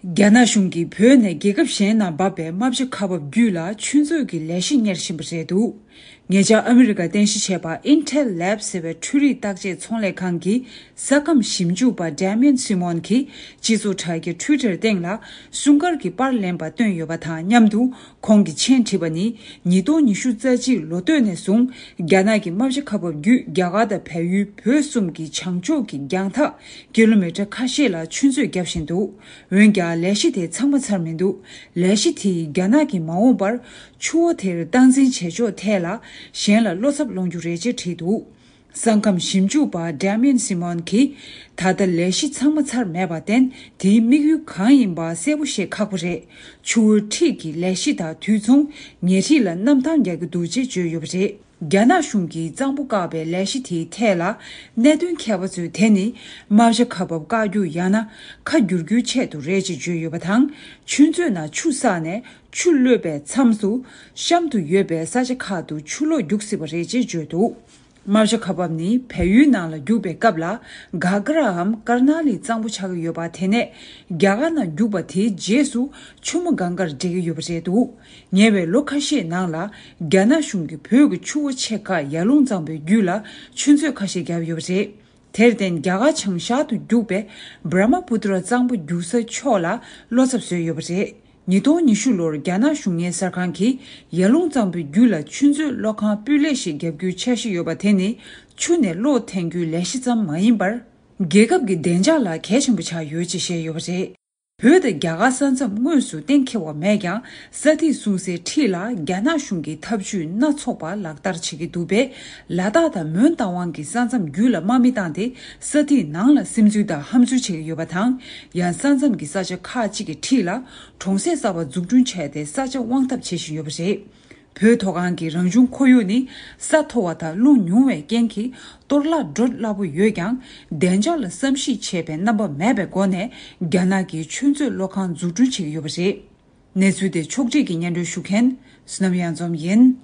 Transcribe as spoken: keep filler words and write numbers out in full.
རྒྱ་ནག་གཞུང་གིས་བོད་ནས་རྒྱལ་ཁབ་གཞན་ནང་འབབ་པའི་རྨ་བྱ་ཁ་འབབ་རྒྱུད་ལ་ཆུ་མཛོད་ཀྱི་ལས་གཞི་གཉེར་བཞིན་པ་རེད་འདུག་ཉེ་ཆར་ཨ་མི་རི་ཀ་རྟེན་གཞི་བྱས་པ་Intel Lab ཟེར་བའི་འཕྲུལ་རིག་བརྟག་དཔྱད་ཚོང་ལས་ཁང་གི་ས་ཁམས་ཞིབ་འཇུག་པ་Damien Simon གྱིས་སྤྱི་ཚོགས་དྲ་རྒྱ་Twitter སྟེང་ལ་སྲུང་སྐར་གྱི་པར་ལེན་པ་བཏོན་ཡོད་པ་དང་མཉམ་དུ། ཁོང་གིས་མཆན་བྲིས་པ་ནི། ཉིས་སྟོང་ཉི་ཤུ་རྩ་གཅིག་ལོ་སྟོད་ནས་བཟུང་རྒྱ་ནག་གི་རྨ་བྱ་ཁ་འབབ་བརྒྱུད་རྒྱ་གར་དང་བལ་ཡུལ་བོད་གསུམ་གྱི་བྱང་ཕྱོགས་ཀྱི་རྒྱང་ཐག་ཀི་ལོ་མི་ཊར་ཁ་ཤས་ལ་ཆུ་མཛོད་བརྒྱབ་བཞིན་འདུག་འོན་ཀྱང་ལས་གཞི་དེ་ཚང་མ་ཚར་མི་འདུག་ལས་གཞི་དེས་རྒྱ་ནག་གིས་མ་འོངས་པར་ཆུ་བོ་དེར་སྟངས་འཛིན་བྱེད་ཕྱོགས་ཐད་ལ་གཞན་ལ་བློ་འཚབ་སློང་རྒྱུ་རེད་ཅེས་བྲིས་འདུག་ས་ཁམས་ཞིབ་འཇུག་པ་Damien Simon གྱིས། ད་ལྟ་ལས་གཞི་ཚང་མ་ཚར་མེད་པར་བརྟེན། དེའི་དམིགས་ཡུལ་གང་ཡིན་པ་གསལ་པོ་ཤེས་ཁག་པོ་རེད། ཆུ་བོའི་འཁྲིས་ཀྱི་ལས་གཞི་དང་དུས་མཚུངས་ཉེ་འཁྲིས་ལ་གནམ་ཐང་རྒྱག་གི་འདུག་ཅེས་བརྗོད་ཡོད་པ་རེད། རྒྱ་ནག་གཞུང་གིས་གཙང་པོ་བཀག་པའི་ལས་གཞི་དེའི་ཐད་ལ། གནད་དོན་མཁས་པ་ཚོས་དེ་ནི། རྨ་བྱ་ཁ་འབབ་བཀག་རྒྱུ་ཡང་ན། ཁ་བསྒྱུར་རྒྱུའི་ཆེད་དུ་རེད་ཅེས་བརྗོད་ཡོད་པ་དང་། ཆུ་མཛོད་ནང་ཆུ་བསགས་ནས། ཆུ་གློད་པའི་མཚམས་སུ། གཤམ་དུ་ཡོད་པའི་ས་ཆ་ཁག་ཏུ་ཆུ་ལོག་རྒྱུག་སྲིད་པ་རེད་ཅེས་བརྗོད་འདུག་རྨ་བྱ་ཁ་འབབ་ནི་བལ་ཡུལ་ནང་ལ་རྒྱུག་པའི་སྐབས་ལ། གྷ་གྷ་རའམ་ཀར་ན་ལི་གཙང་པོ་ཆགས་ཀྱི་ཡོད་པ། དེ་ནས་རྒྱ་གར་ནང་རྒྱུག་པ་དེའི་རྗེས་སུ་ཆུ་མོ་གངྒཱར་འདྲེས་ཀྱི་ཡོད་པ་རེད་འདུག་ཉེ་བའི་ལོ་ཁ་ཤས་ནང་ལ། རྒྱ་ནག་གཞུང་གིས་བོད་ཀྱི་ཆུ་བོ་ཆེ་ཁག་ཡར་ཀླུང་གཙང་པོའི་རྒྱུད་ལ་ཆུ་མཛོད་ཁ་ཤས་བརྒྱབ་ཡོད་པ་རེད། དེར་བརྟེན། རྒྱ་གར་བྱང་ཤར་དུ་རྒྱུག་པའི་བྷྲ་མ་པུ་ཏྲ་གཙང་པོ་རྒྱུག་ས་ཕྱོགས་ལ་བློ་འཚབ་བཟོས་ཡོད་པ་རེད། ཉིས་སྟོང་ཉི་ཤུ་ལོར་རྒྱ་ནག་གཞུང་གཉེར་གསར་ཁང་གིས་ཡར་ཀླུང་གཙང་པོའི་རྒྱུད་ལ་ཆུ་མཛོད་གློག་ཁང་སྤུས་ལེགས་ཤིག་བརྒྱབ་རྒྱུའི་འཆར་གཞི་ཡོད་པ། དེ་ནི་ཆུ་ནས་གློག་འཐེན་རྒྱུའི་ལས་གཞི་ཙམ་མ་ཡིན་པར། རྒྱལ་ཁབ་ཀྱི་བདེ་འཇགས་ལ་གལ་ཆེན་པོ་ཆགས་ཡོད་ཅེས་བཤད་ཡོད་པ་རེད། བོད་དང་རྒྱ་གར་ས་མཚམས་དངོས་སུ་གཏན་འཁེལ་བ་མེད་ཀྱང་། ས་ཐིག་སྲུང་སའི་འཁྲིས་ལ་རྒྱ་ནག་གཞུང་གིས་ཐབས་ཇུས་སྣ་ཚོགས་པ་ལག་བསྟར་བྱེད་ཀྱི་འདུག་པས། ལ་དྭགས་དང་མོན་རྟ་དབང་གི་ས་མཚམས་རྒྱུད་ལ་དམག་མི་བཏང་སྟེ། ས་ཐིག་ནང་ལ་སིམ་འཛུལ་དང་ཧམ་འཛུལ་བྱེད་ཀྱི་ཡོད་པ་དང་། ཡང་ས་མཚམས་ཀྱི་ས་ཆ་ཁག་ཅིག་གི་འཁྲིས་ལ་གྲོང་གསེབ་གསར་པ་འཛུགས་སྐྲུན་བྱས་ཏེ། ས་ཆ་དབང་ཐབས་བྱེད་བཞིན་ཡོད་པ་རེད། བོད་མཐོ་སྒང་གི་རང་བྱུང་ཁོར་ཡུག་ནི་ས་མཐོ་བ་དང་རླུང་ཉུང་བའི་རྐྱེན་གྱིས་གཏོར་བརླག་འགྲོ་སླ་པོ་ཡོད་ཀྱང་། བདེ་འཇགས་ལ་བསམ་གཞིག་བྱེད་པའི་རྣམ་པ་མེད་པའི་སྒོ་ནས། རྒྱ་ནག་གིས་ཆུ་མཛོད་གློག་ཁང་འཛུགས་སྐྲུན་བྱེད་ཀྱི་ཡོད་པ་རེད། གནས་ཚུལ་དེ་ཕྱོགས་སྒྲིག་གིས་སྙན་སྒྲོན་ཞུ་མཁན་བསོད་ནམས་གཡང་འཛོམས་ཡིན།